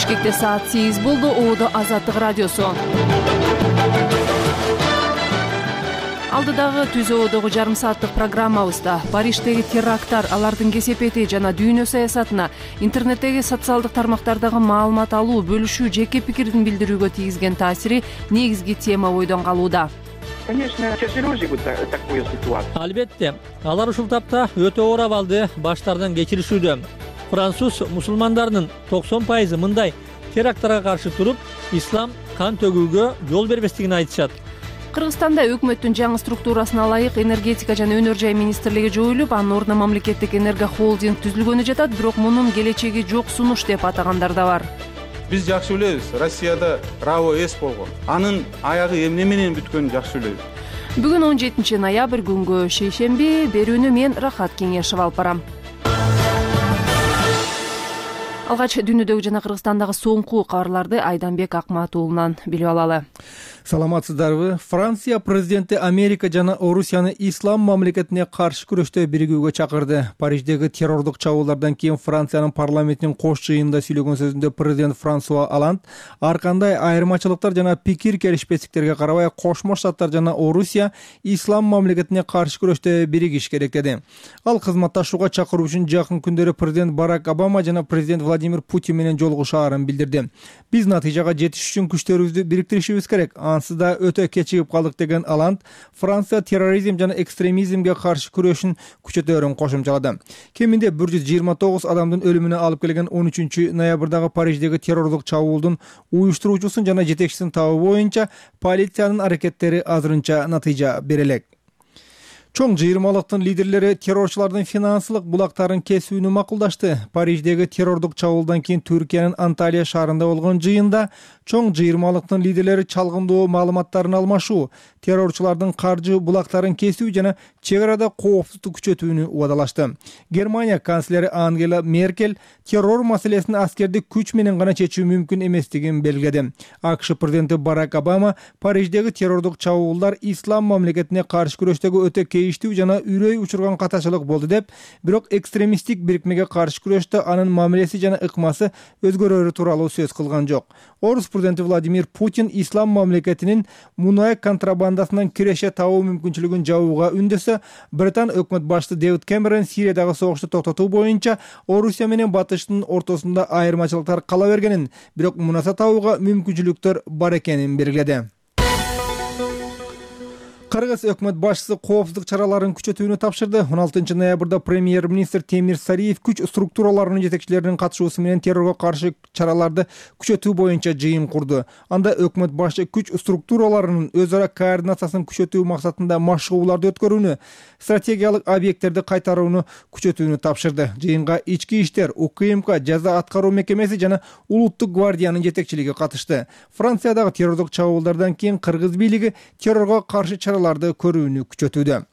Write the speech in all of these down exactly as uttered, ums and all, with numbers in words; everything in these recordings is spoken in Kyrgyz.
Бишкекте саат сегиз болду. Оодо Азаттык радиосу. Алдыдагы түз оодогу жарым сааттык программабызда Париждеги теракттар, алардын кесепети жана дүйнө саясатына, интернеттеги социалдык тармактардагы маалымат алуу, бөлүшүү, жеке пикирдин билдирүүгө тийгизген таасири негизги тема бойдон калууда. Конечно, тяжело живут такую ситуацию. Албетте, алар ушул тапта өтө оор абалды баштардан кечиришүүдө. Француз мусулмандарынын токсон пайызы мындай теракттарга каршы туруп, ислам кан төгүүгө жол бербестигин айтышат. Кыргызстанда өкмөттүн жаңы структурасына ылайык энергетика жана өнөр жай министрлиги жоюлуп, анын ордуна мамлекеттик энергохолдинг түзүлгөнү жатат, бирок мунун келечеги жок сунуш деп атагандар да бар. Биз жакшы билебиз, Россияда РАО эс болгон. Анын аягы эмне менен бүткөнүн жакшы билебиз. Бүгүн он жетинчи ноябрь күнгө шейшемби, берүүнү мен Рахат Кеңешев алып барам. Алгач дүйнөдөгү жана Кыргызстандагы соңку кабарларды Айданбек Акматуулунан билип алалы. Саламатсыздарбы? Франция президенти Америка жана Орусияны ислам мамлекетине каршы күрөштө биригүүгө чакырды. Париждеги террордук чабуулдардан кийин Франциянын парламентинин кош жыйынында сүйлөгөн сөзүндө президент Франсуа Оланд ар кандай айырмачылыктар жана пикир келишпестиктерге карабай Кошмо Штаттар жана Орусия ислам мамлекетине каршы күрөштө биригиш керек деди. Ал кызматташууга чакыруу үчүн жакын күндөрү президент Барак Обама жана президент Владимир Путин менен жолугушаарын билдирди. Биз натыйжага жетиш үчүн күчтөрүбүздү бириктиришибиз керек. Ансыз да өтө кечигип калдык деген Оланд Франция терроризм жана экстремизмге каршы күрөшүн күчөтөөрүн кошумчалады. Кеминде бир жүз жыйырма тогуз адамдын өлүмүнө алып келген он үчүнчү ноябрдагы Париждеги террордук чабуулдун уюштуруучусун жана жетекчисин табуу боюнча полициянын аракеттери азырынча натыйжа бере элек. Чоң жыйырмалыктын лидерлери террорчулардын финансылык булактарын кесүүнү макулдашты. Париждеги террордук чабуулдан кийин Түркиянын Анталия шаарында болгон жыйында чоң жыйырмалыктын лидерлери чалгындоо маалыматтарын алмашуу, террорчулардын каржы булактарын кесүү жана чек арада коопсуздук күчөтүүнү убадалашты. Германия канцлери Ангела Меркель террор маселесин аскердик күч менен гана чечүү мүмкүн эместигин белгиледи. АКШ президенти Барак Обама Париждеги террордук чабуулдар ислам мамлекетине каршы күрөштөгү өтө кейиштүү жана үрөй учурган катачылык болду деп, бирок экстремисттик бирикмеге каршы күрөштө анын мамилеси жана ыкмасы өзгөрөрү тууралуу сөз кылган жок. Орус президенти Владимир Путин ислам мамлекетинин мунай контрабандасынан киреше табуу мүмкүнчүлүгүн жабууга үндөсө, Британ өкмөт башчысы Дэвид Кэмерон Сириядагы согушту токтотуу боюнча Орусия менен Батыштын ортосунда айырмачылыктар кала бергенин, бирок мунаса табууга мүмкүнчүлүктөр бар экенин белгиледи. Кыргыз өкмөт башчысы коопсуздук чараларын күчөтүүнү тапшырды. он алтынчы ноябрда премьер-министр Темир Сариев күч структураларынын жетекчилеринин катышуусу менен террорго каршы чараларды күчөтүү боюнча жыйын курду. Анда өкмөт башчы күч структураларынын өз ара координациясын күчөтүү максатында машыгууларды өткөрүүнү, стратегиялык объекттерди кайтарууну күчөтүүнү тапшырды. Жыйынга ички иштер, УКМК, жаза аткаруу мекемеси жана Улуттук гвардиянын жетекчилиги катышты. Франциядагы террордук чабуулдардан кийин кыргыз бийлиги террорго каршы чараларды көрүүнү күчөтүүдө.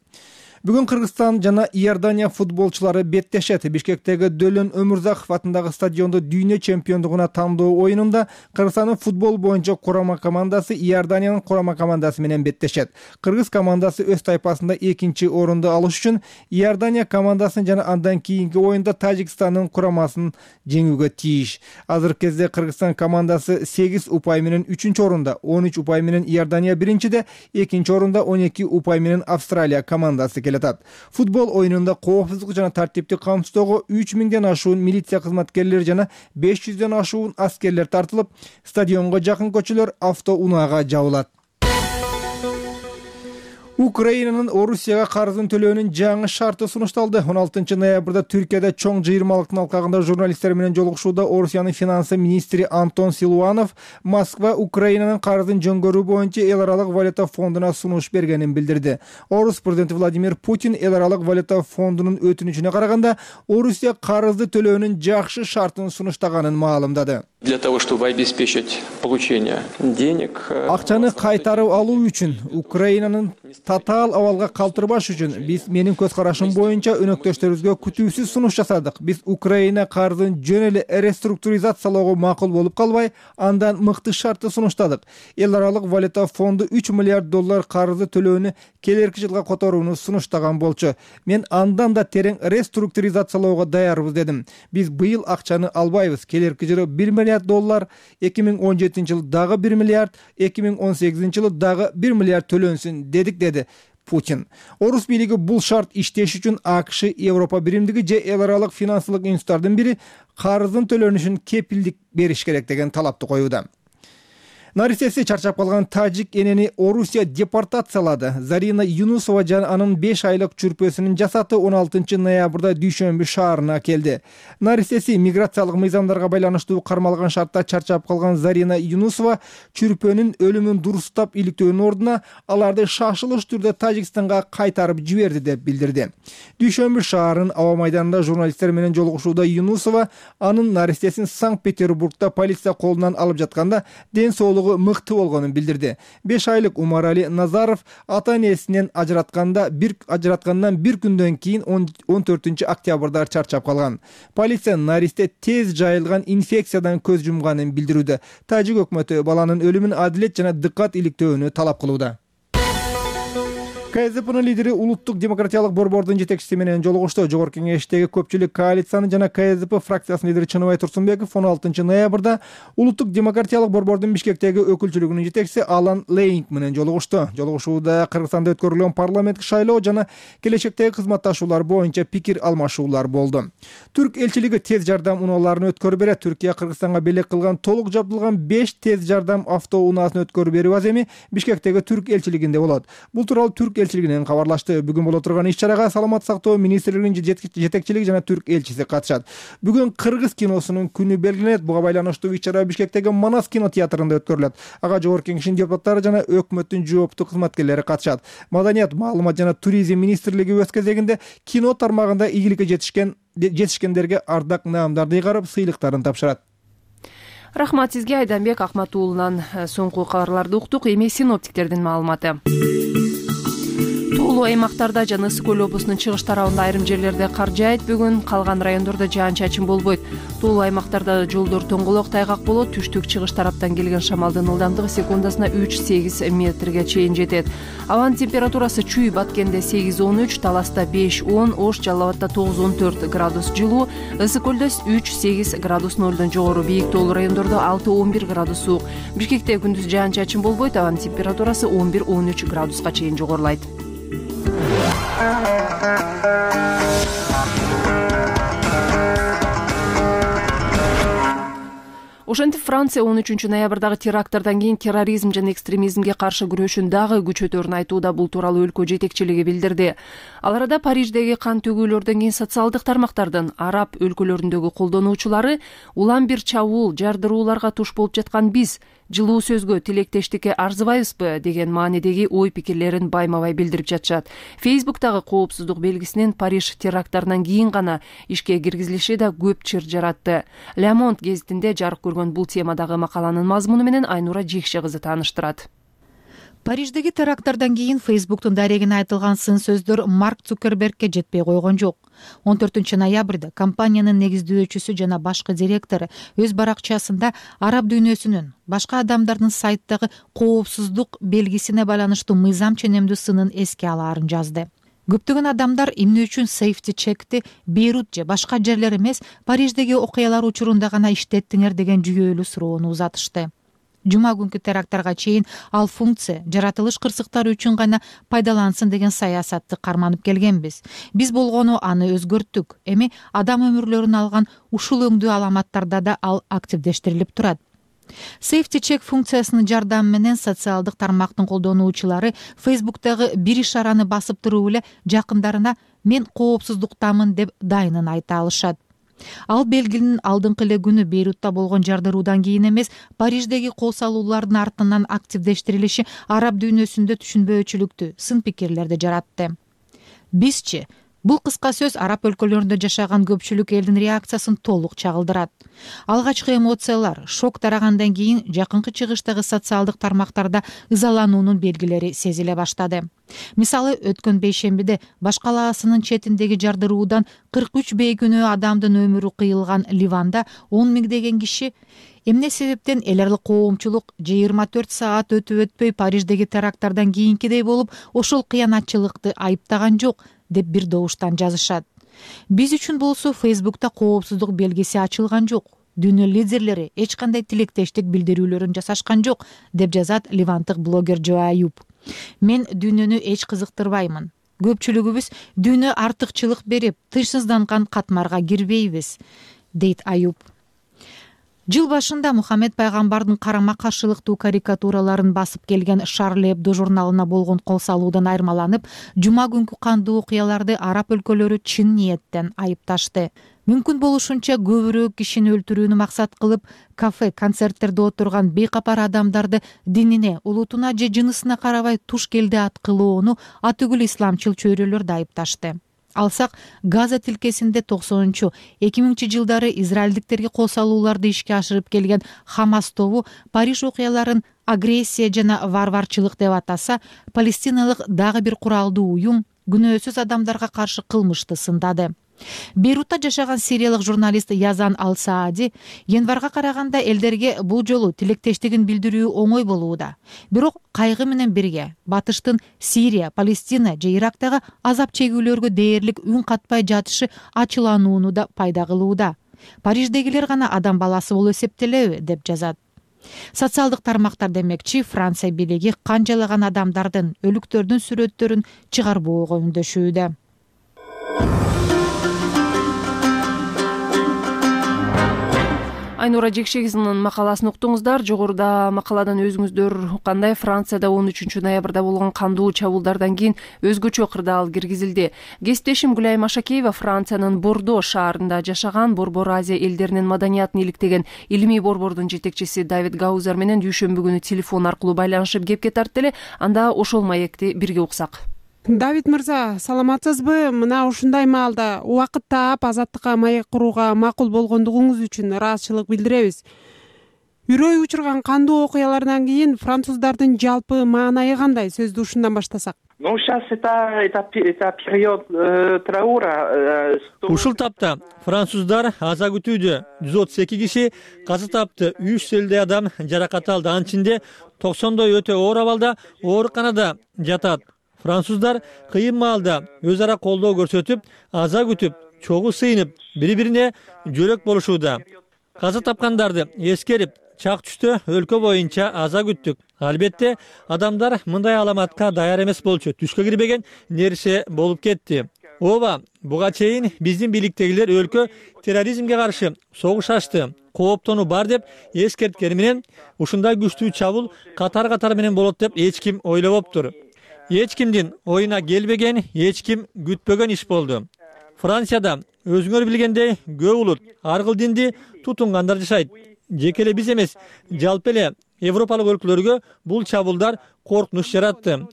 Бүгүн Кыргызстан жана Иордания футболчулары беттешет. Бишкектеги Дөлөн Өмүрзаков атындагы стадиондо дүйнө чемпиондугуна тандоо оюнунда Кыргызстандын футбол боюнча курама командасы Иорданиянын курама командасы менен беттешет. Кыргыз командасы өз тайпасында экинчи орунду алыш үчүн Иордания командасын жана андан кийинки оюнда Тажикстандын курамасын жеңүүгө тийиш. Азыркы кезде Кыргызстан командасы сегиз упай менен үчүнчү орунда, он үч упай менен Иордания биринчиде, экинчи орунда он эки упай менен Австралия командасы келет. Футбол оюнунда коопсуздук жана тартипти камсыздоого үч миңден ашуун милиция кызматкерлери жана беш жүздөн ашуун аскерлер тартылып, стадионго жакын көчөлөр автоунаага жабылат. Украинанын Орусияга карызын төлөөнүн жаңы шарты сунушталды. он алтынчы ноябрда Түркияда чоң жыйырмалыктын алкагында журналисттер менен жолугушууда Орусиянын финансы министри Антон Силуанов Москва Украинанын карызын жөнгөрүү боюнча эл аралык валюта фондуна сунуш бергенин билдирди. Орус президенти Владимир Путин эл аралык валюта фондунун өтүнүчүнө караганда Орусия карызды төлөөнүн жакшы шартын сунуштаганын маалымдады. Для того, чтобы обеспечить получение денег, акчаны кайтарып алуу үчүн, Украинанын татаал абалга калтырбаш үчүн биз менин көз карашым боюнча өнөктөштөрүбүзгө күтүүсүз сунуш жасадык. Биз Украина карызын жөн эле реструктуризациялоого макул болуп калбай, андан мыкты шартты сунуштадык. Эл аралык валюта фонду үч миллиард доллар карызды төлөөнү келерки жылга которууну сунуштаган болчу. Мен андан да терең реструктуризациялоого даярбыз дедим. Биз быйыл акчаны албайбыз. Келерки жылы бир миллиард миллиард доллар, эки миң он жетинчи жылы дагы бир миллиард, эки миң он сегизинчи жылы дагы бир миллиард төлөнсүн дедик, деди Путин. Орус бийлиги бул шарт иштеш үчүн АКШ, Европа биримдиги же эл аралык финансылык институттардын бири карыздын төлөнүшүн кепилдик бериш керек деген талапты коюуда. Наристеси чарчап калган тажик энени Орусия депортациялады. Зарина Юнусова жана анын беш айлык чүрпөсүнүн жасаты он алтынчы ноябрда Дүйшөмбү шаарына келди. Наристеси миграциялык мыйзамдарга байланыштуу кармалган шартта чарчап калган Зарина Юнусова чүрпөнүн өлүмүн дурустап иликтөөнүн ордуна аларды шашылыш түрдө Тажикстанга кайтарып жиберди деп билдирди. Дүйшөмбү шаарынын аба майданында журналисттер менен жолугушууда Юнусова анын наристесин Санкт-Петербургда полиция колунан алып жатканда ден соолугу мыкты болгонун билдирди. беш айлык Умарали Назаров ата-энесинен ажыратканда бир ажыраткандан бир күндөн кийин он төртүнчү октябрда чарчап калган. Полиция наристе тез жайылган инфекциядан көз жумганын билдирүүдө. Тажик өкмөтү баланын өлүмүн адилет жана дыккат иликтөөнү талап кылууда. КСДПнын лидери Улуттук демократиялык борбордун жетекчиси менен жолугушту. Жогорку кеңештеги көпчүлүк коалицияны жана КСДП фракциясынын лидери Чыныбай Турсунбеков он алтынчы ноябрда Улуттук демократиялык борбордун Бишкектеги өкүлчүлүгүнүн жетекчиси Алан Лейнг менен жолугушту. Жолугушууда Кыргызстанда өткөрүлгөн парламенттик шайлоо жана келечектеги кызматташуулар боюнча пикир алмашуулар болду. Түрк элчилиги тез жардам унааларын өткөрүп берет. Түркия Кыргызстанга белек кылган толук жабдылган беш тез жардам автоунаасын өткөрүп берүү аземи Бишкектеги Түрк элчилигинде болот. Бул тууралуу Түрк элчилигинен кабарлашты. Бүгүн боло турган иш-чарага Саламат сактоо министрлигинин жетекчилиги жана түрк элчиси катышат. Бүгүн кыргыз киносунун күнү белгиленет. Буга байланыштуу иш-чара Бишкектеги Манас кинотеатрында өткөрүлөт. Ага жогорку кеңештин депутаттары жана өкмөттүн жооптуу кызматкерлери катышат. Маданият, маалымат жана туризм министрлиги өз кезегинде кино тармагында ийгиликке жетишкен жетишкендерге ардак наамдарды ыйгарып, сыйлыктарын тапшырат. Рахмат сизге, Айданбек Акматуулунан. Соңку кабарларды уктук. Эми синоптиктердин маалыматы. Туулуу аймактарда жана Ысык көл облусунун чыгыш тарабында айрым жерлерде кар жаайт. Бүгүн калган райондордо жаан-чачын болбойт. Туулуу аймактарда жолдор тоңголок, тайгак болот. Түштүк чыгыш тараптан келген шамалдын ылдамдыгы секундасына үч сегиз метрге чейин жетет. Абанын температурасы Чүй Баткенде сегиз он үч, Таласта беш он, Ош Жалал Абадда тогуз он төрт градус жылуу, Ысык көлдө үч сегиз градус нолдон жогору, бийик тоолуу райондордо алты он бир градус суук. Бишкекте күндүз жаан-чачын болбойт. Абанын температурасы он бир он үч градуска чейин жогорулайт. Ошентип Франция он үчүнчү ноябрдагы теракттардан кийин терроризм жана экстремизмге каршы күрөшүн дагы күчөтөрүн айтууда. Бул тууралуу өлкө жетекчилиги билдирди. Ал арада Париждеги кан төгүүлөрдөн кийин социалдык тармактардын араб өлкөлөрүндөгү колдонуучулары улам бир чабуул, жардырууларга туш болуп жаткан биз жылуу сөзгө, тилектештикке арзыбайбызбы деген маанидеги ой пикирлерин байма-бай билдирип жатышат. Фейсбуктагы коопсуздук белгисинин Париж теракттарынан кийин гана ишке киргизилиши да көп чыр жаратты. Le Monde гезитинде жарык көргөн бул темадагы макаланын мазмуну менен Айнура Жекше кызы тааныштырат. Париждеги теракттардан кийин Фейсбуктун дарегине айтылган сын сөздөр Марк Цукербергке жетпей койгон жок. он төртүнчү ноябрда компаниянын негиздөөчүсү жана башкы директору өз баракчасында араб дүйнөсүнүн башка адамдардын сайттагы коопсуздук белгисине байланыштуу мыйзам ченемдүү сынын эске алаарын жазды. Көптөгөн адамдар эмне үчүн Safety Check'ти Бейрут же башка жерлер эмес, Париждеги окуялар учурунда гана иштеттиңер деген жүйөлүү суроону узатышты. Жума күнкү теракттарга чейин ал функция жаратылыш кырсыктары үчүн гана пайдалансын деген саясатты карманып келгенбиз. Биз болгону аны өзгөрттүк. Эми адам өмүрлөрүн алган ушул өңдүү аламаттарда да ал активдештирилип турат. Safety Check функциясынын жардамы менен социалдык тармактын колдонуучулары Фейсбуктагы бир ишараны басып туруп эле жакындарына мен коопсуздуктамын деп дайынын айта алышат. Ал белгинин алдыңкы эле күнү Бейрутта болгон жардыруудан кийин эмес, Париждеги кол салуулардын артынан активдештирилиши араб дүйнөсүндө түшүнбөөчүлүктү, сын пикирлерди жаратты. Бизчи бул кыска сөз араб өлкөлөрүндө жашаган көпчүлүк элдин реакциясын толук чагылдырат. Алгачкы эмоциялар, шок тарагандан кийин жакынкы чыгыштагы социалдык тармактарда ызалануунун белгилери сезиле баштады. Мисалы, өткөн бейшембиде Баш калаасынын четиндеги жардыруудан кырк үч бейкүнөө адамдын өмүрү кыйылган Ливанда он миңдеген киши эмне себептен эл аралык коомчулук жыйырма төрт саат өтүп өтпөй Париждеги теракттардан кийинкидей болуп ошол кыянатчылыкты айыптаган жок деп бир добуштан жазышат. Биз үчүн болсо Фейсбукта коопсуздук белгиси ачылган жок. дүйнө лидерлери эч кандай тилектештик билдирүүлөрүн жасашкан жок, деп жазат ливандык блогер Джо Аюб. Мен дүйнөнү эч кызыктырбаймын. Көпчүлүгүбүз дүйнө артыкчылык берип, тынчсызданган катмарга кирбейбиз, дейт Аюб. Жыл башында Мухаммед пайгамбардын карама каршылыктуу карикатураларын басып келген Шарли Эбдо журналына болгон кол салуудан айырмаланып, жума күнкү кандуу окуяларды араб өлкөлөрү чын ниеттен айыпташты. Мүмкүн болушунча көбүрөөк кишини өлтүрүүнү максат кылып, кафе, концерттерде отурган бейкапар адамдарды динине, улутуна же жынысына карабай туш келди ат кылууну атүгүл исламчыл чөйрөлөрдү айыпташты. Алсак, Газа тилкесинде токсонунчу эки миңинчи жылдары израилдиктерге кол салууларды ишке ашырып келген Хамас тобу Париж окуяларын агрессия жана варварчылык деп атаса, палестиналык дагы бир куралдуу уюм күнөөсүз адамдарга каршы кылмышты сындады. Бейрутта жашаган сириялык журналист Язан Ал-Саади январга караганда элдерге бул жолу тилектештигин билдирүү оңой болууда. Бирок кайгы менен бирге батыштын Сирия, Палестина же Ирактагы азап чегүүлөргө дээрлик үн катпай жатышы ачыланууну да пайда кылууда. Париждегилер гана адам баласы болуп эсептелеби, деп жазат. Социалдык тармактар демекчи, Франция бийлиги канчалаган адамдардын, өлүктөрдүн сүрөттөрүн чыгарбоого үндөшүүдө. Айнура Жекшегизовнун макаласын уктуңуздар. Жогоруда макаладан өзүңүздөр уккандай, Францияда он үчүнчү ноябрда болгон кандуу чабуулдардан кийин өзгөчө кырдаал киргизилди. Кесиптешим Гүлайым Ашакеева Франциянын Бордо шаарында жашаган Борбор Азия элдеринин маданиятын иликтеген илимий борбордун жетекчиси Давид Гаузер менен дүйшөмбү күнү телефон аркылуу байланышып кепке тартты эле. Анда ошол маекти бирге уксак. Давид мырза, саламатсызбы? Мына ушундай маалда убакыт таап азаттыкка маек курууга макул болгондугуңуз үчүн ыраазычылык билдиребиз. Үрөй учурган кандуу окуялардан кийин француздардын жалпы маанайы кандай? Сөздү ушундан баштасак. Ну, сейчас это, это, это период э, траура. Э, сто... Ушул тапта француздар аза күтүүдө. жүз отуз эки киши каза тапты, үч жүз элүү адам жаракат алды. Анын ичинде токсондой өтө оор абалда ооруканада жатат. Француздар кыйын маалда өз ара колдоо көрсөтүп, аза күтүп, чогуу сыйынып, бири-бирине жөрөк болушууда. Каза тапкандарды эскерип, чак түштө өлкө боюнча аза күттүк. Албетте, адамдар мындай аламатка даяр эмес болчу. Түшкө кирбеген нерсе болуп кетти. Ооба, буга чейин биздин бийликтегилер өлкө терроризмге каршы согуш ачты, кооптонуу бар деп эскерткени менен, ушундай күчтүү чабуул катар-катар менен болот деп эч ким ойлобоптур. Эч кимдин оюна келбеген, эч ким күтпөгөн иш болду. Францияда өзүңөр билгендей көп улут, ар кыл динди тутунгандар жашайт. Жеке эле биз эмес, жалпы эле Европалык өлкөлөргө бул чабуулдар коркунуч жаратты.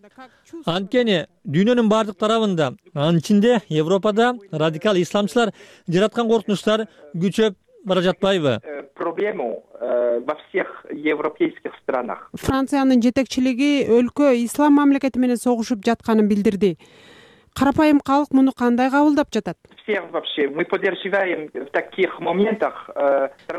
Анткени дүйнөнүн бардык тарабында, анын ичинде Европада радикал исламчылар жараткан коркунучтар күчөп бара жатпайбы? Проблему во всех европейских странах. Франциянын жетекчилиги өлкө ислам мамлекети менен согушуп жатканын билдирди. Карапайым калк муну кандай кабылдап жатат? Все вообще мы поддерживаем в таких моментах.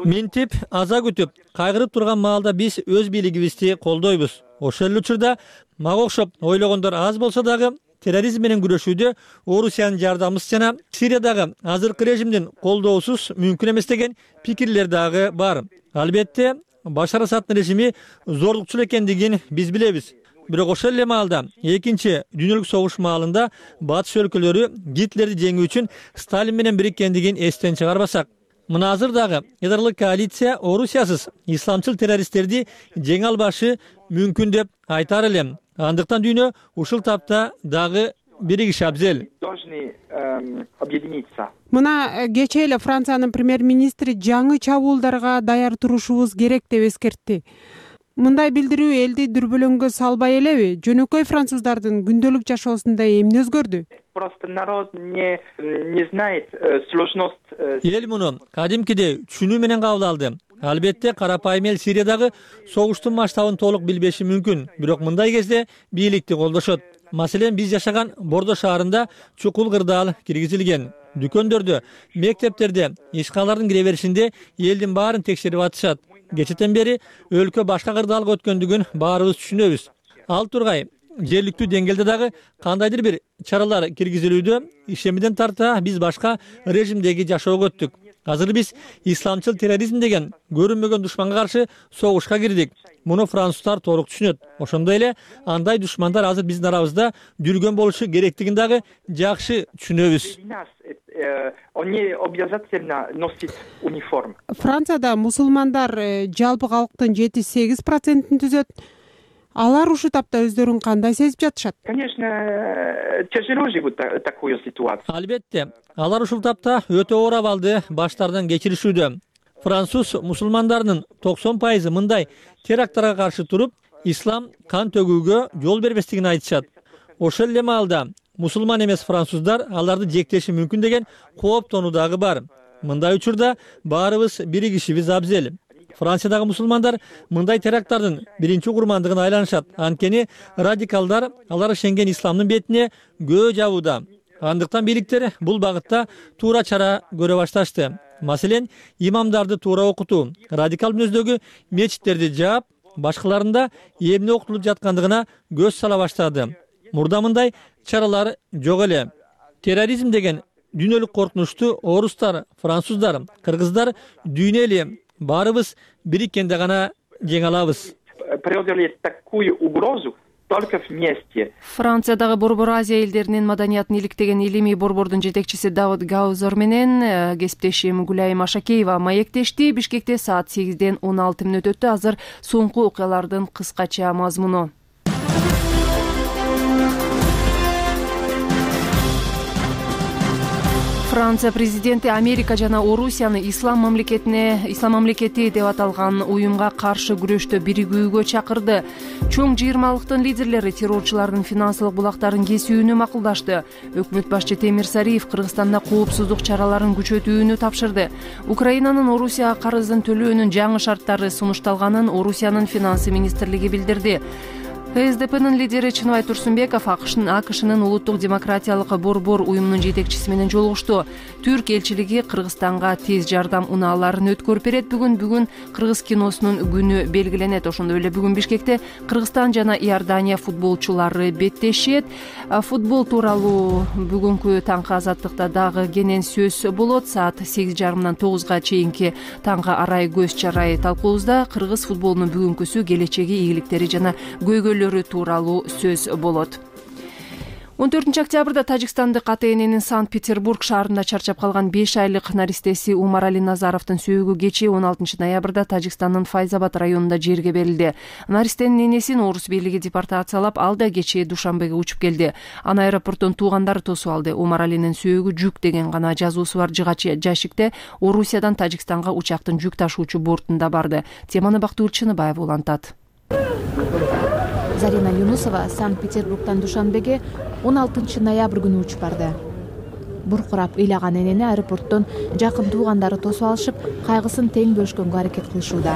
Минтип, аза күтүп, кайгырып турган маалда биз өз бийлигибизди колдойбуз. Ошол эле учурда мага окшоп ойлогондор аз болсо дагы терроризм менен күрөшүүдө Орусиянын жардамысыз жана Сириядагы азыркы режимдин колдоосуз мүмкүн эмес деген пикирлер дагы бар. Албетте, Башар Асаддын режими зорлукчул экендигин биз билебиз. Бирок ошол эле маалда экинчи дүйнөлүк согуш маалында батыш өлкөлөрү Гитлерди жеңүү үчүн Сталин менен бириккендигин эстен чыгарбасак, мына азыр дагы ядролук коалиция Орусиясыз исламчыл террористтерди жеңе албашы мүмкүн деп айтар элем. Андыктан дүйнө ушул тапта дагы биригиши абзел. Должны объединиться. Мына кечээ эле Франциянын премьер-министри жаңы чабуулдарга даяр турушубуз керек деп эскертти. Мындай билдирүү элди дүрбөлөңгө салбай элеби? Жөнөкөй француздардын күндөлүк жашоосунда эмне өзгөрдү? Просто народ не не знает сложность. Эл муну кадимкидей түшүнүү менен кабыл алды. Албетте, карапайым эл Сириядагы согуштун масштабын толук билбеши мүмкүн, бирок мындай кезде бийликти колдошот. Маселен, биз жашаган Бордо шаарында чукул кырдаал киргизилген. Дүкөндөрдө, мектептерде, ишканалардын кире беришинде элдин баарын текшерип атышат. Кечетен бери өлкө башка кырдаалга өткөндүгүн баарыбыз түшүнөбүз. Ал тургай, жергиликтүү деңгээлде дагы кандайдыр бир чаралар киргизилүүдө, ишемиден тарта биз башка режимдеги жашоого өттүк. Азыр биз исламчыл терроризм деген көрүнмөгөн душманга каршы согушка кирдик. Муну француздар толук түшүнөт. Ошондой эле андай душмандар азыр биздин арабызда жүргөн болушу керектигин дагы жакшы түшүнөбүз. Францияда мусулмандар жалпы калктын жети сегиз процентин түзөт. Алар ушул тапта өздөрүн кандай сезип жатышат? Конечно, тяжело живут такую ситуацию. Албетте, алар ушул тапта өтө оор абалды баштарынан кечиришүүдө. Француз мусулмандарынын токсон пайызы мындай теракттарга каршы туруп, ислам кан төгүүгө жол бербестигин айтышат. Ошол эле маалда мусулман эмес француздар аларды жектеши мүмкүн деген кооптонуу дагы бар. Мындай учурда баарыбыз биригишибиз абзел. Франциядагы мусулмандар мындай теракттардын биринчи курмандыгын айланышат. Анткени радикалдар алар ишенген исламдын бетине көө жабууда. Андыктан бийликтер бул багытта туура чара көрө башташты. Маселен, имамдарды туура окутуу, радикал мүнөздөгү мечиттерди жаап, башкаларында эмне окутулуп жаткандыгына көз сала баштады. Мурда мындай чаралар жок эле. Терроризм деген дүйнөлүк коркунучту орустар, француздар, кыргыздар дүйнө эле баарыбыз бириккенде гана жеңе алабыз. Преодолеть такую угрозу только вместе. Франциядагы Борбор Азия элдеринин маданиятын иликтеген илимий борбордун жетекчиси Давуд Гаузер менен кесиптешим Гүлайым Ашакеева маектешти. Бишкекте саат сегизден он алты мүнөт өттү. Азыр соңку окуялардын кыскача мазмуну. Франция президенти Америка жана Орусияны ислам мамлекетине, ислам мамлекети деп аталган уюмга каршы күрөштө биригүүгө чакырды. Чоң жыйырмалыктын лидерлери террорчулардын финансылык булактарын кесүүнү макулдашты. Өкмөт башчы Темир Сариев Кыргызстанда коопсуздук чараларын күчөтүүнү тапшырды. Украинанын Орусияга карызын төлөөнүн жаңы шарттары сунушталганын Орусиянын финансы министрлиги билдирди. КСДПнын лидери Чыныбай Турсунбеков АКШнын улуттук демократиялык борбор уюмунун жетекчиси менен жолугушту. Түрк элчилиги Кыргызстанга тез жардам унааларын өткөрүп берет. Бүгүн бүгүн кыргыз киносунун күнү белгиленет. Ошондой эле бүгүн Бишкекте Кыргызстан жана Иордания футболчулары беттешет. Футбол тууралуу бүгүнкү таңкы азаттыкта дагы кенен сөз болот. Саат сегиз жарымдан тогузга чейинки таңкы арай көз чарай талкуубузда кыргыз футболунун бүгүнкүсү, келечеги, ийгиликтери жана көйгөйлөрү тууралуу сөз болот. он төртүнчү октябрда Тажикстандык ата эненин Санкт-Петербург шаарында чарчап калган беш айлык наристеси Умарали Назаровдун сөөгү кечээ он алтынчы ноябрда Тажикстандын Файзабад районунда жерге берилди. Наристенин энесин орус бийлиги депортациялап, ал да кечээ Душанбеге учуп келди. Аны аэропорттон туугандары тосуп алды. Умаралинин сөөгү жүк деген гана жазуусу бар жыгач жашикте Орусиядан Тажикстанга учактын жүк ташуучу бортунда барды. Теманы Бактыгүл Чыныбаева улантат. Зарина Юнусова Санкт-Петербургдан Душанбеге он алтынчы ноябрь күнү учуп барды. Буркурап ыйлаган энени аэропорттон жакын туугандары тосуп алышып, кайгысын тең бөлүшкөнгө аракет кылышууда.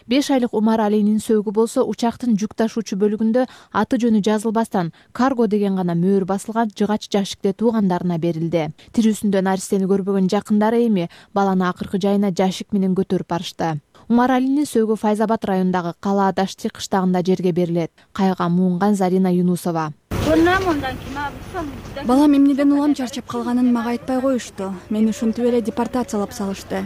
беш айлык Умаралинин сөөгү болсо учактын жүк ташуучу бөлүгүндө аты жөнү жазылбастан карго деген гана мөөр басылган жыгач жашикте туугандарына берилди. Тирүүсүндө наристени көрбөгөн жакындары эми баланы акыркы жайына жашик менен көтөрүп барышты. Умаралинин сөөгү Файзабад районундагы Кала Дашти кыштагында жерге берилет. Кайга муунган Зарина Юнусова. Балам эмнеден улам чарчап калганын мага айтпай коюшту. Мени ушинтип эле депортациялап салышты.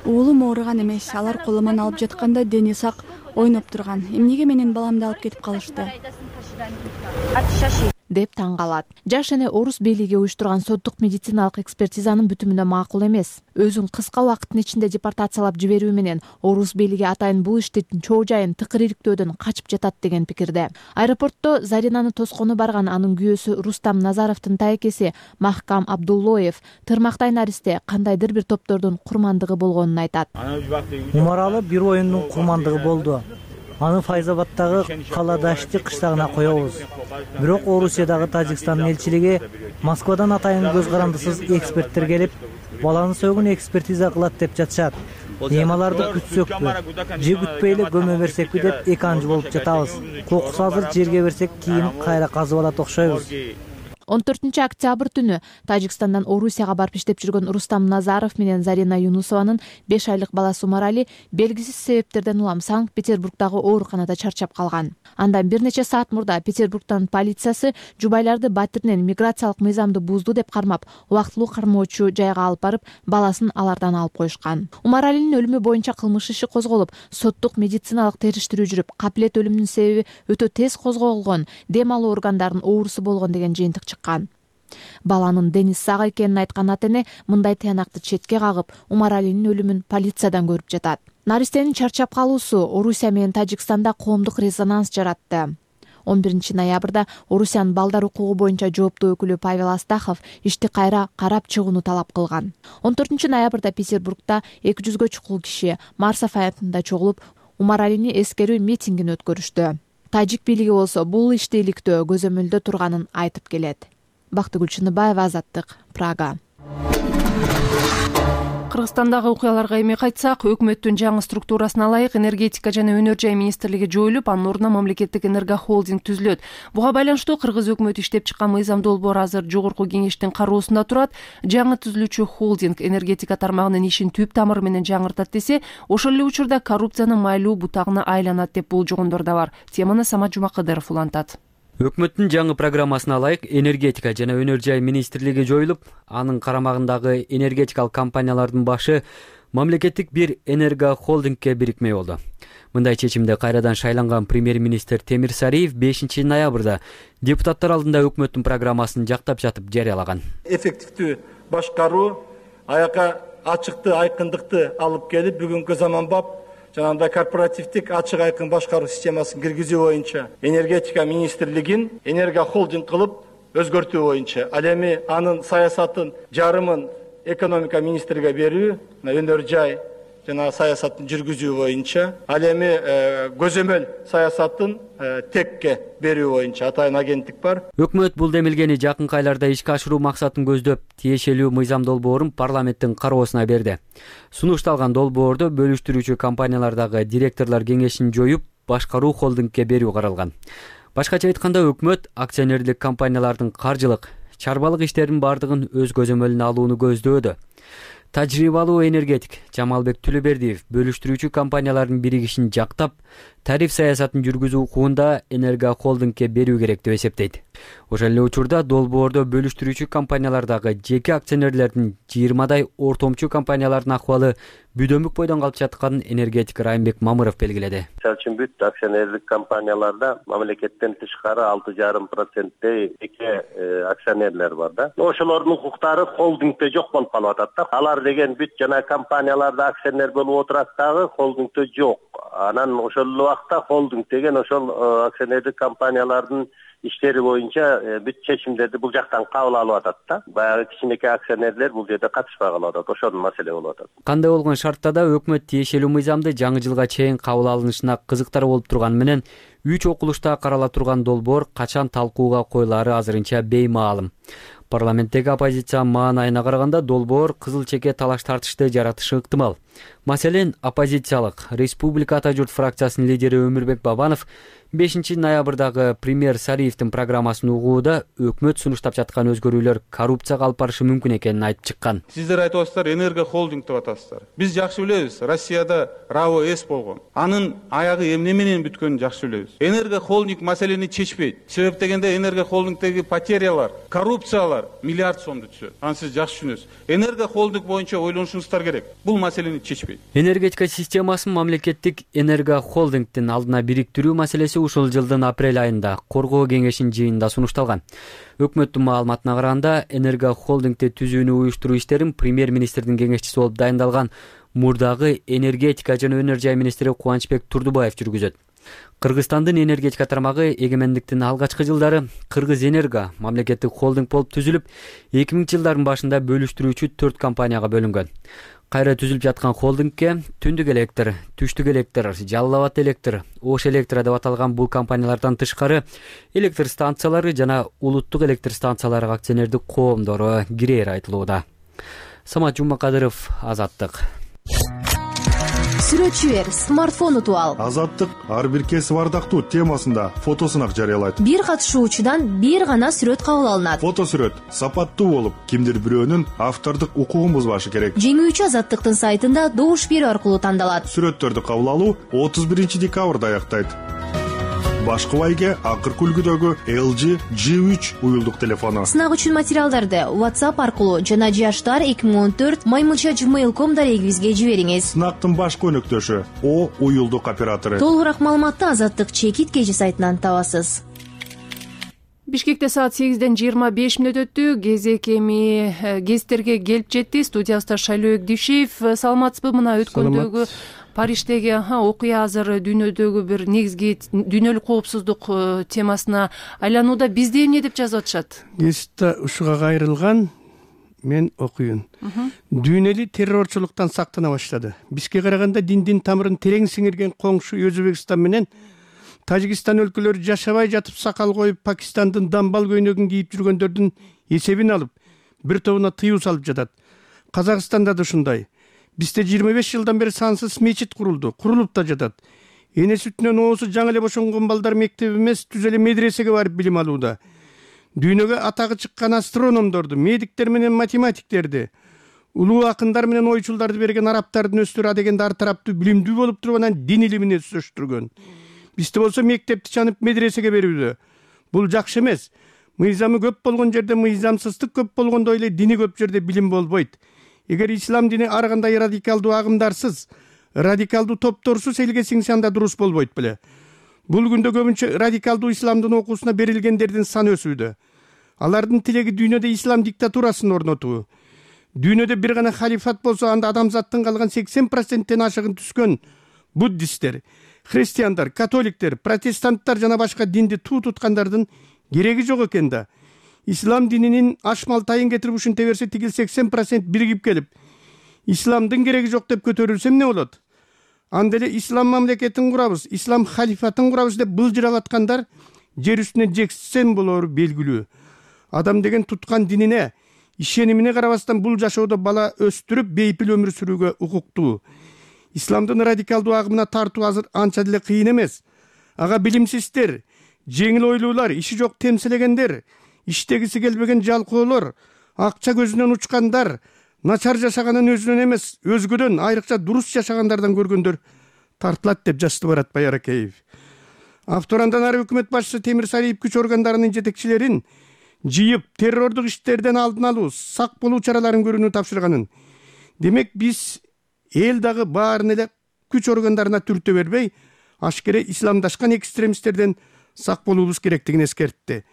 Уулум ооруган эмес, алар колуман алып жатканда дени сак ойноп турган. Эмнеге менин баламды алып кетип калышты? деп таң калат. Жаш эне орус бийлиги уюштурган соттук медициналык экспертизанын бүтүмүнө макул эмес. Өзүн кыска убакыттын ичинде депортациялап жиберүү менен орус бийлиги атайын бул иштин чоо жайын тыкыр иликтөөдөн качып жатат деген пикирде. Аэропортто Заринаны тоскону барган анын күйөөсү Рустам Назаровдун тайкеси Махкам Абдуллоев тырмактай наристе кандайдыр бир топтордун курмандыгы болгонун айтат. Умаралы бир оюндун курмандыгы болду. Аны Файзабадтагы Кала Дашти кыштагына коебуз. Бирок Орусиядагы Тажикстандын элчилиги Москвадан атайын көз карандысыз эксперттер келип, баланы сөөгүн экспертиза кылат деп жатышат. Эми аларды күтсөкпү, же күтпөй эле көмө берсекпи деп эки анчы болуп жатабыз. Кокусу азыр жерге берсек кийин кайра казып алат окшойбуз. он төртүнчү октябрь түнү Тажикстандан Орусияга барып иштеп жүргөн Рустам Назаров менен Зарина Юнусованын беш айлык баласы Умарали белгисиз себептерден улам Санкт-Петербургдагы ооруканада чарчап калган. Андан бир нече саат мурда Петербургдун полициясы жубайларды батиринен миграциялык мыйзамды бузду деп кармап, убактылуу кармоочу жайга алып барып, баласын алардан алып коюшкан. Умаралинин өлүмү боюнча кылмыш иши козголуп, соттук медициналык териштирүү жүрүп, капилет өлүмүнүн себеби өтө тез козголгон, дем алуу органдарынын оорусу болгон деген жыйынтык чыккан. Баланын дени сак экенин айткан ата эне мындай тыянакты четке кагып, Умаралинин өлүмүн полициядан көрүп жатат. Наристенин чарчап калуусу Орусия менен Тажикстанда коомдук резонанс жаратты. он биринчи ноябрда Орусиянын балдар укугу боюнча жооптуу өкүлү Павел Астахов ишти кайра карап чыгууну талап кылган. он төртүнчү ноябрда Петербургда эки жүзгө чукул киши Марсов аянтында чогулуп, Умаралини эскерүү митингин өткөрүштү. Тажик бийлиги болсо бул ишти иликтөө көзөмөлдө турганын айтып келет. Бактыгүл Чыныбаева, Азаттык, Прага. Кыргызстандагы окуяларга эми кайтсак, өкмөттүн жаңы структурасына ылайык энергетика жана өнөр жай министрлиги жоюлуп, анын ордуна мамлекеттик энергохолдинг түзүлөт. Буга байланыштуу кыргыз өкмөтү иштеп чыккан мыйзам долбоору азыр жогорку кеңештин кароосунда турат. Жаңы түзүлүүчү холдинг энергетика тармагынын ишин түп тамыры менен жаңыртат десе, ошол эле учурда коррупциянын майлуу бутагына айланат деп болжогондор да бар. Теманы Самат Жумакадыров улантат. Өкмөттүн жаңы программасына ылайык энергетика жана өнөр жай министрлиги жоюлуп, анын карамагындагы энергетикалык компаниялардын башы мамлекеттик бир энергохолдингке бирикмей болду. Мындай чечимди кайрадан шайланган премьер-министр Темир Сариев бешинчи ноябрда депутаттар алдында өкмөттүн программасын жактап жатып жарыялаган. Эффективдүү башкаруу, аяка ачыкты, айкындыкты алып келип, бүгүнкү заманбап жанагындай корпоративдик ачык айкын башкаруу системасын киргизүү боюнча энергетика министрлигин энергохолдинг кылып өзгөртүү боюнча, ал эми анын саясатын жарымын экономика министрлиге берүү, өнөр жай жана саясатын жүргүзүү боюнча, ал эми көзөмөл саясатын текке берүү боюнча атайын агенттик бар. Өкмөт бул демилгени жакынкы айларда ишке ашыруу максатын көздөп, тиешелүү мыйзам долбоорун парламенттин кароосуна берди. Сунушталган долбоордо бөлүштүрүүчү компаниялардагы директорлор кеңешин жоюп, башкаруу холдингке берүү каралган. Башкача айтканда, өкмөт акционерлик компаниялардын каржылык, чарбалык иштеринин бардыгын өз көзөмөлүнө алууну көздөөдө. Тажрыйбалуу энергетик Жамалбек Түлөбердиев бөлүштүрүүчү компаниялардын биригишин жактап, тариф саясатын жүргүзүү укугунда энергохолдингке берүү керек деп эсептейт. Ошол эле учурда долбоордо бөлүштүрүүчү компаниялардагы жеке акционерлердин жыйырмадай ортомчу компаниялардын акыбалы бүдөмүк бойдон калып жатканын энергетик Райымбек Мамыров белгиледи. Мисалы үчүн бүт акционерлик компанияларда мамлекеттен тышкары алты жарым проценттей жеке акционерлер бар да. Ошолордун укуктары холдингде жок болуп калып атат да. Алар деген бүт жана компанияларда акционер болуп отурат дагы, холдингде жок. Анан ошол убакта холдинг деген ошол акционерлик компаниялардын иштери боюнча бүт чечимдерди бул жактан кабыл алып атат да. Баягы кичинекей акционерлер бул жерде катышпай калып атат. Ошол маселе болуп атат. Кандай болгон шартта да өкмөт тиешелүү мыйзамды жаңы жылга чейин кабыл алынышына кызыктар болуп турганы менен үч окулушта карала турган долбоор качан талкууга коюлаары азырынча беймаалым. Парламенттеги оппозициянын маанайына караганда долбоор кызыл чеке талаш тартышты жаратышы ыктымал. Маселен, оппозициялык Республика Ата журт фракциясынын лидери Өмүрбек Бабанов бешинчи ноябрдагы премьер Сариевдин программасын угууда өкмөт сунуштап жаткан өзгөрүүлөр коррупцияга алып барышы мүмкүн экенин айтып чыккан. Сиздер айтып атасыздар, энергохолдинг деп атасыздар. Биз жакшы билебиз, Россияда РАО эс болгон. Анын аягы эмне менен бүткөнүн жакшы билебиз. Энергохолдинг маселени чечпейт. Себеп дегенде энергохолдингдеги потерялар, коррупциялар миллиард сомду түзөт. Аны сиз жакшы түшүнөсүз. Энергохолдинг боюнча ойлонушуңуздар керек. Бул маселени чечпейт. Энергетика системасын мамлекеттик энергохолдингдин алдына бириктирүү маселеси ушул жылдын апрель айында Коргоо кеңешинин жыйынында сунушталган. Өкмөттүн маалыматына караганда, энергохолдингди түзүүнү уюштуруу иштерин премьер-министрдин кеңешчиси болуп дайындалган мурдагы энергетика жана өнөр жай министри Кубанычбек Турдубаев жүргүзөт. Кыргызстандын энергетика тармагы эгемендиктин алгачкы жылдары Кыргыз Энерго мамлекеттик холдинг болуп түзүлүп, эки миңинчи жылдардын башында бөлүштүрүүчү төрт компанияга бөлүнгөн. Кайра түзүлүп жаткан холдингке Түндүк электр, Түштүк электр, Жалал Абад электр, Ош электр деп аталган бул компаниялардан тышкары электр станциялары жана улуттук электр станциялары акционердик коомдору кирери айтылууда. Самат Жумакадыров, Азаттык. сүрөтчү бер, смартфон утуп ал. Азаттык ар бир кесип ардактуу темасында фотосунак жарыялайт. Бир катышуучудан бир гана сүрөт кабыл алынат. Фото сүрөт сапаттуу болуп, кимдир бирөөнүн автордук укугун бузбашы керек. Жеңүүчү Азаттыктын сайтында добуш берүү аркылуу тандалат. Сүрөттөрдү кабыл алуу отуз биринчи декабрда аяктайт. Башкы байге акыркы үлгүдөгү эл джи джи үч уюлдук телефону. Сынак үчүн материалдарды WhatsApp аркылуу жана жаштар эки миң он төрт маймылча gmail точка ком дарегибизге жибериңиз. Сынактын башкы өнөктөшү О уюлдук оператору. Толугураак маалыматты Азаттык чекит кежи сайтынан табасыз. Бишкекте саат сегизден жыйырма беш мүнөт өттү. Кезек эми гезиттерге келип жетти. Студиябызда Шайлообек Дүйшеев. Саламатсызбы? Мына өткөндөгү Париждеги окуя азыр дүйнөдөгү бир негизги дүйнөлүк коопсуздук темасына айланууда. Бизде эмне деп жазып атышат? Гезитте ушуга кайрылган мен окуйун. Дүйнө эли террорчулуктан сактана баштады. Бизге караганда диндин тамырын терең сиңирген коңшу Өзбекстан менен Тажикстан өлкөлөрү жашабай жатып сакал коюп, Пакистандын дамбал көйнөгүн кийип жүргөндөрдүн эсебин алып, бир тобуна тыюу салып жатат. Казакстанда да ушундай. Бизде жыйырма беш жылдан бери сансыз мечит курулду, курулуп да жатат. Эне сүтүнөн оозу жаңы эле бошонгон балдар мектеп эмес, түз эле медресеге барып билим алууда. Дүйнөгө атагы чыккан астрономдорду, медиктер менен математиктерди, улуу акындар менен ойчулдарды берген арабтардын өздөрү адегенде ар тараптуу билимдүү болуп туруп анан дин илимин өстүргөн. Бизде болсо мектепти чанып медресеге берүүдө. Бул жакшы эмес. Мыйзамы көп болгон жерде мыйзамсыздык көп болгондой эле дини көп жерде билим болбойт. Эгер ислам дини ар кандай радикалдуу агымдарсыз, радикалдуу топторсуз элге сиңсе анда дурус болбойт беле. Бул күндө көбүнчө радикалдуу исламдын окуусуна берилгендердин саны өсүүдө. Алардын тилеги дүйнөдө ислам диктатурасын орнотуу. Дүйнөдө бир гана халифат болсо анда адамзаттын калган сексен проценттен ашыгын түскөн буддисттер, христиандар, католиктер, протестанттар жана башка динди туу туткандардын кереги жок экен да. Ислам дининин ашмал тайын кетирип ушинте берсе тигил сексен процент биригип келип, исламдын кереги жок деп көтөрүлсө эмне болот? Анда эле ислам мамлекетин курабыз, ислам халифатын курабыз деп былжырап аткандар жер үстүнө жексен болору белгилүү. Адам деген туткан динине, ишенимине карабастан бул жашоодо бала өстүрүп, бейпил өмүр сүрүүгө укуктуу. Исламдын радикалдуу агымына тартуу азыр анча деле кыйын эмес. Ага билимсиздер, жеңил ойлуулар, иши жок темселегендер, иштегиси келбеген жалкоолор, акча көзүнөн учкандар, начар жашаганын өзүнөн эмес, өзгөдөн, айрыкча дурус жашагандардан көргөндөр тартылат деп жазды Барат Байракеев. Авторандан ары өкмөт башчысы Темир Сариев күч органдарынын жетекчилерин жыйып, террордук иштерден алдын алуу, сак болуу чараларын көрүүнү тапшырганын. Демек биз эл дагы баарын эле күч органдарына түртө бербей, ашкере исламдашкан экстремисттерден сак болуубуз керектигин эскертти.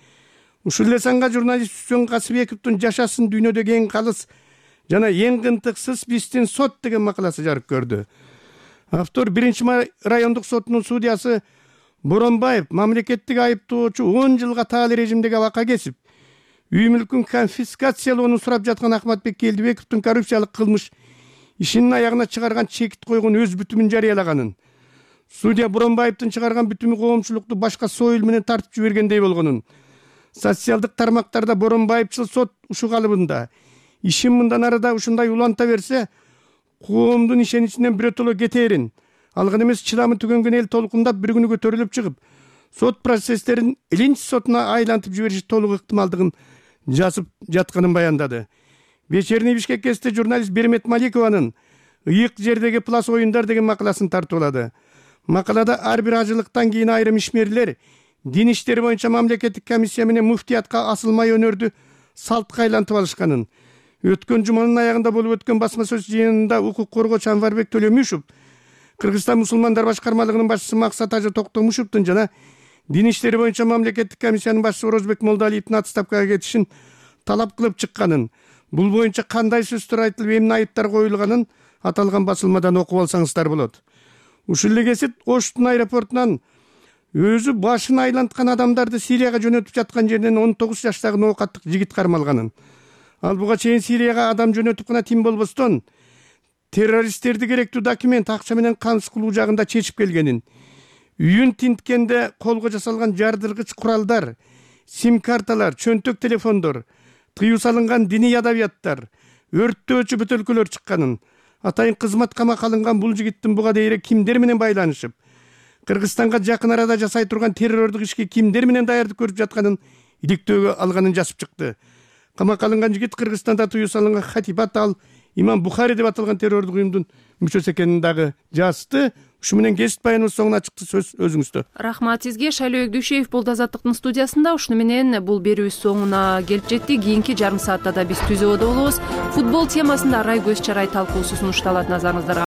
Ушул эле санга журналист Үсен Касыбековдун жашасын дүйнөдөгү эң калыс жана эң кынтыксыз биздин сот деген макаласы жарык көрдү. Автор биринчи райондук сотунун судьясы Боронбаев мамлекеттик айыптоочу он жылга таалуу режимдеги абакка кесип, үй мүлкүн конфискациялоону сурап жаткан Ахматбек Келдибековдун коррупциялык кылмыш ишинин аягына чыгарган чекит койгон өз бүтүмүн жарыялаганын, судья Боронбаевдин чыгарган бүтүмү коомчулукту башка союл менен тартып жибергендей болгонун, социалдык тармактарда Боронбаевчыл сот ушул калыбында ишин мындан арада ушундай уланта берсе, коомдун ишеничинен биротоло кетээрин, алган эмес чыдамы түгөнгөн эл толкундап бир күнү көтөрүлүп чыгып, сот процесстерин илинч сотуна айлантып жибериши толук ыктымалдыгын жазып жатканын баяндады. Вечерний Бишкек гезитте журналист Бермет Маликованын «Ыйык жердеги плас оюндар» деген макаласын тартуулады. Макалада ар бир ажылыктан кийин айрым ишмерлер дин иштери боюнча мамлекеттик комиссия менен муфтиятка асылмай өнөрдү салтка айлантып алышканын, өткөн жуманын аягында болуп өткөн басма сөз жыйынында укук коргоочу Анварбек Төлөмүшев, Кыргызстан мусулмандар башкармалыгынын башчысы Максат Ажы Токтомушевдун жана дин иштери боюнча мамлекеттик комиссиянын башчысы Орозбек Молдалиевдин отставкага кетишин талап кылып чыкканын, бул боюнча кандай сөздөр айтылып, эмне айыптар коюлганын аталган басылмадан окуп алсаңыздар болот. Ушул эле гезит Оштун аэропортунан өзү башын айланткан адамдарды Сирияга жөнөтүп жаткан жеринен он тогуз жаштагы ноокаттык жигит кармалганын. Ал буга чейин Сирияга адам жөнөтүп гана тим болбостон, террористтерди керектүү документ, акча менен камсыз кылуу жагында чечип келгенин, үйүн тинткенде колго жасалган жардыргыч куралдар, сим-карталар, чөнтөк телефондор, тыюу салынган диний адабияттар, өрттөөчү бөтөлкөлөр чыкканын, атайын кызматка алынган бул жигиттин буга дейре кимдер менен байланышып, Кыргызстанга жакын арада жасай турган террордук ишке кимдер менен даярдык көрүп жатканын иликтөөгө алганын жазып чыкты. Камакка алынган жигит Кыргызстанда тыюу салынган Хатибат ал Имам Бухари деп аталган террордук уюмдун мүчөсү экенин дагы жазды. Ушу менен кесип баяныбыз соңуна чыкты. Сөз өзүңүздө. Рахмат сизге. Шайлоо Өгдүшев болду Азаттыктын студиясында. Ушуну менен бул берүүбүз соңуна келип жетти. Кийинки жарым саатта да биз түзөөдө болобуз. Футбол темасында арай көз чарай талкуусу сунушталат, назарыңыздарга